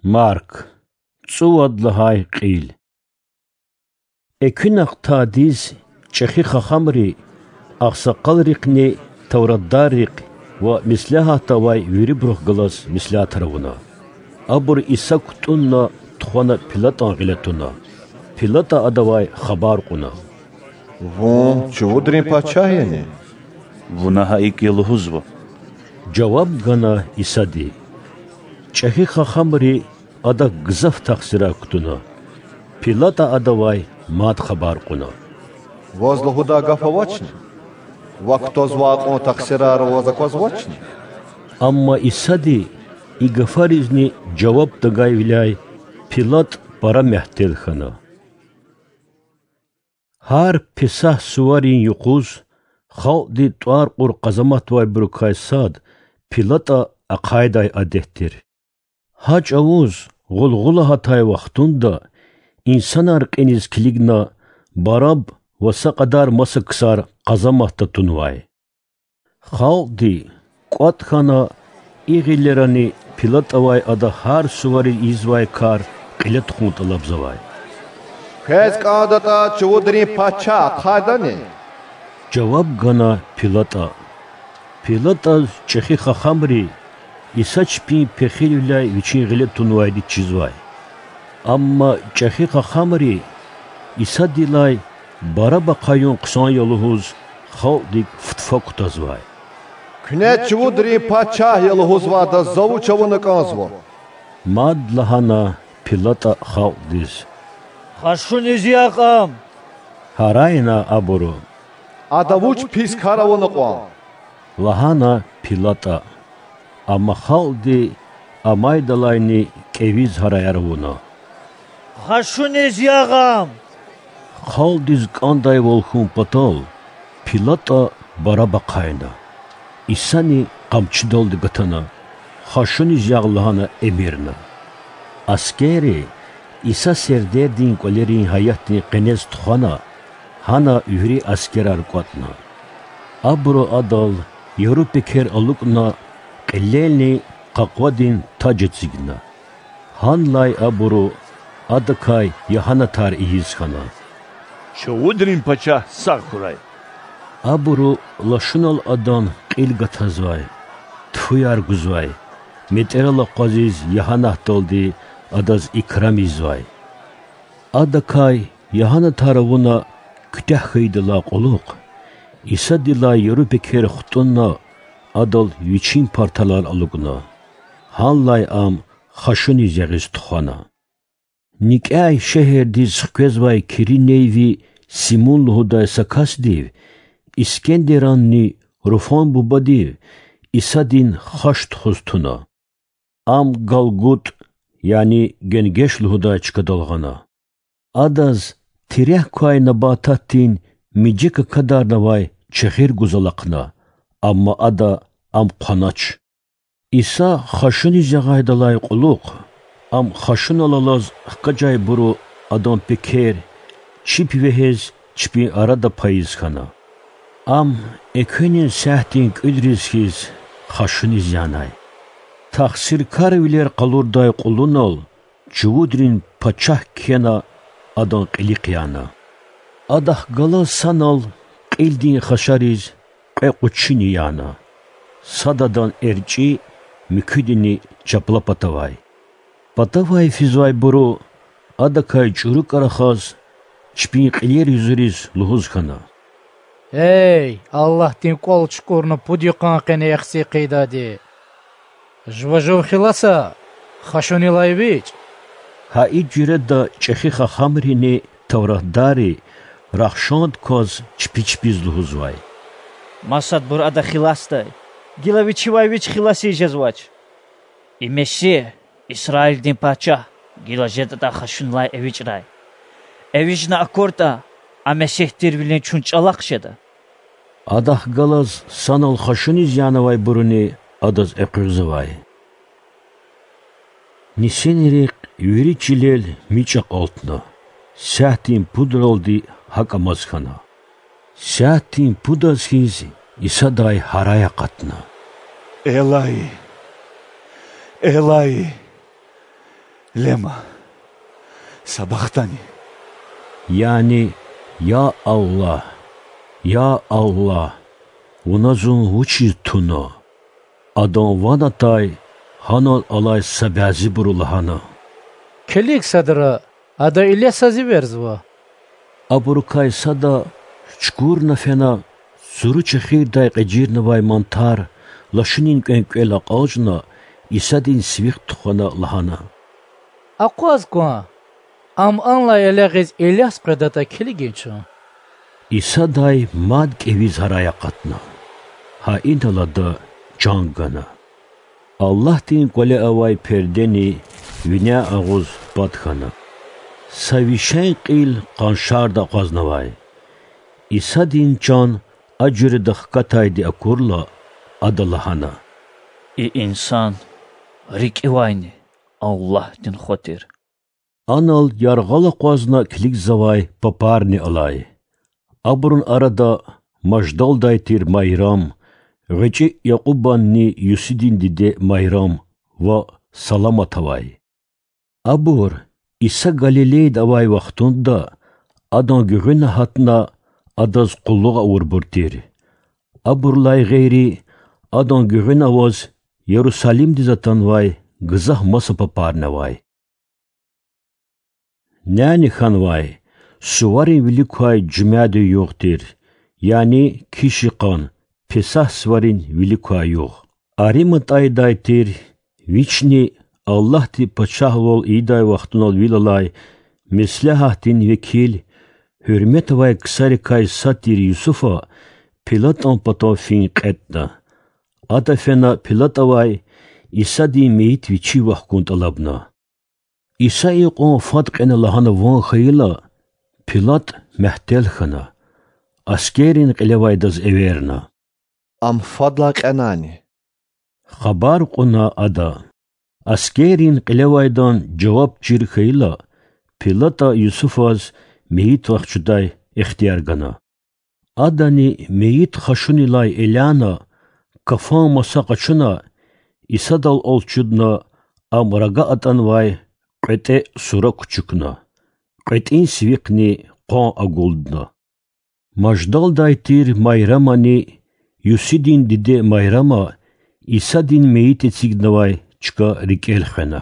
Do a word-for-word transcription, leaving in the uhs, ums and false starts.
Марк. ЦӀувад лагьай кьил. Экуьнахъ тадиз чӀехи хахамри, агъсакъалрихъни тавратдаррихъ ва меслягьатда авай вирибурухъ галаз меслятар авуна. Абур Иса кутӀунна тухвана ПилатӀан гъиле туна. ПилатӀа адавай хабар кьуна: Вун чувудрин пачагь яни? Вуна гьа икӀ я лугьузва,— жаваб гана Исади. ЧӀехи хахамри Адак гзаф тахсирар кутуна. ПилатӀа Адавай мад хабар кьуна: Ваз лугьудай гаф авачни? Ваз кутазвай кьван тахсирар Ваз аквазвачни? Амма Исади и гафаризни жаваб тагайвиляй ПилатӀ пара мягьтел хьана. Гьар Песагь суварин юкъуз халкьди тӀвар кьур къазаматдавайбурукай сад ПилатӀа ахъайдай адет тир. Гьа чӀавуз гъулгъула гьатай вахтунда инсанар кьиниз килигна Бараб ва са кьадар маса ксар къазаматда тунвай. Халкьди кӀватӀ хьана, и гъилерани ПилатӀавай ада гьар сувариз ийизвай кар кьиле тухун тӀалабзавай. Квез кӀандатӀа, чувудрин пачагь ахъайдани? жаваб гана ПилатӀа. ПилатӀаз чӀехи хахамри Иса чпин пехилвиляй вичин гъиле тунвайди чизвай. Амма чӀехи хахамри Исадилай Бараб ахъаюн хъсан я лугьуз халкьдик футфа кутазвай. Куьне чувудрин пачагь я лугьузвайдаз за вуч авуна кӀанзава? мад лагьана ПилатӀа халкьдиз. Хашуниз ягъ ам,— гьарайна абуру. Ада вуч пис кар авуна кьван? лагьана ПилатӀа. Амма халкьди амайдалайни кӀевиз гьараяр авуна. Хашуниз ягъ ам! Халкьдиз кӀандайвал хьун патал ПилатӀа Бараб ахъайна. Исани къамчидалди гатана, хашуниз ягъ лагьана эмирна. Аскерри Иса сердердин кӀвалерин гьаятдин къенез тухвана, гьана вири аскерар кӀватӀна. Абуру Адал яру пекер алукӀна, кьилелни къакъвадин таж эцигна. Гьанлай абуру Адакай ягьанатар ийиз хьана: Чувудрин пачагь сагъ хьурай! Абуру лашунал Адан кьил гатазвай, тфуяр гузвай, метӀерал акъвазиз ягьанатдалди Адаз икрам ийизвай. Адакай ягьанатар авуна куьтягь хьайидалай кьулухъ, Исадилай яру пекер хтӀунна, Адал вичин парталар алукӀна. Гьанлай ам хашуниз ягъиз тухвана. НикӀяй шегьердиз хквезвай киринейви Симун лугьудай са касдив, Искендеранни Руфан бубадив, Исадин хаш тухуз туна. Ам ГалгутӀ, яни Генгеш лугьудай чкадал гъана. Адаз тирекь квай набататдин миже какадарнавай чехир гуз алахъна, амма Ада ам хъванач. Иса хашуниз ягъайдалай кьулухъ, ам хашунал алаз хкажайбуру Адан пекер чип вегьез чпин арада пайиз хьана. Ам экуьнин сятдин кӀуьдриз хьиз хашуниз янай. Тахсиркарвилер къалурдай кьулунал чувудрин пачагь кхьена Адан кьилихъ яна. Адахъ галаз санал кьилдин хашариз кьве къучини яна: сад адан эрчӀи, муькуьдини чапла патавай. Патавай физвайбуру, Адакай чӀурукӀа рахаз, чпин кьилер юзуриз лугьуз хьана: Эй, Аллагьдин кӀвал чукӀурна пуд йикъан къене яхцӀур хъийидайди! Жува жув хиласа, хашунилай эвичӀ! Гьа и жуьреда чӀехи хахамрини тавратдарри рахшанд кваз чпи чпиз лугьузвай: Масадбур Ада хиласдай, гила Вичивай Вич хилас ийиз жезвач. И Месигь, Исраилдин Пачагь, гила жедатӀа хашунилай эвичӀрай. ЭвичӀна акуртӀа, а Месигь тирвилин чун чӀалахъ жеда. Адахъ галаз санал хашуниз янавайбуруни Адаз экъуьгъзавай. Нисинрихъ вири чилел мичӀ акьалтна, сятдин пудралди гьакӀ амаз хьана. Сятдин пудаз хьиз Исадай гьарай акъатна: Элои, Элои, Лама сабахтани? Яни Я Аллагь, я Аллагь, Вуна зун вучиз туна? Адан ван атай гьанал алай са бязибуру лагьана: Килиг садра, ада Илясаз эверзава. Абурукай сада, чукурна фена, цуру чехирдай кьежирнавай мантар лашунин кӀвенкӀвел акьалжна, Исадин сивихъ тухвана, лагьана: Акъваз кван, ам анлай элягъиз Иляс къведатӀа килигин чун. Исадай мад кӀевиз гьарай акъатна. Гьа инал ада чан гана. Аллагьдин КӀвале авай пердени виняй агъуз пад хьана. Са вишен кьил къаншарда акъвазнавай. Исадин чан а жуьреда хкатайди акурла, Ада лагьана: И инсан рикӀивайни Аллагьдин Хва тир. Анал яргъал акъвазна килигзавай папарни алай. Абурун арада маждалдай тир Майрам, гъвечӀи Якьубанни Юсидин диде Майрам ва Саламат авай. Абур Иса Галилейда авай вахтунда Адан гуьгъуьна гьатна Адаз къуллугъ авурбур тир. Абурулай гъейри, Адан гуьгъуьна аваз Ярусалимдиз атанвай гзаф маса папарни авай. Няни хьанвай, суварин вилик квай жуьмядин югъ тир, яни киш йикъан, Песагь суварин вилик квай югъ. Ариматайдай тир, вични Аллагьди пачагьвал ийидай вахтунал вил алай меслягьатдин векил, гьуьрмет авай ксарикай сад тир Юсуфа, ПилатӀан патав фин кьетӀна. Ада фена ПилатӀавай Исадин мейит вичив вахкун тӀалабна. Иса икьван фад кьена лагьана ван хьайила, ПилатӀ мягьтел хьана, аскеррин кьилевайдаз эверна: Ам фадлай кьенани? хабар кьуна ада. Аскеррин кьилевайдан жаваб чир хьайила, ПилатӀа Юсуфаз мейит вахчудай ихтияр гана. Адани мейит хашунилай эляна, кафан маса къачуна, Исадал алчудна, ам рага атӀанвай кьветӀе сура кучукна. КьветӀин сивихъни къван агулдна. Маждалдай тир Майрамани Юсидин диде Майрама Исадин мейит эцигнавай чка рикӀел хвена.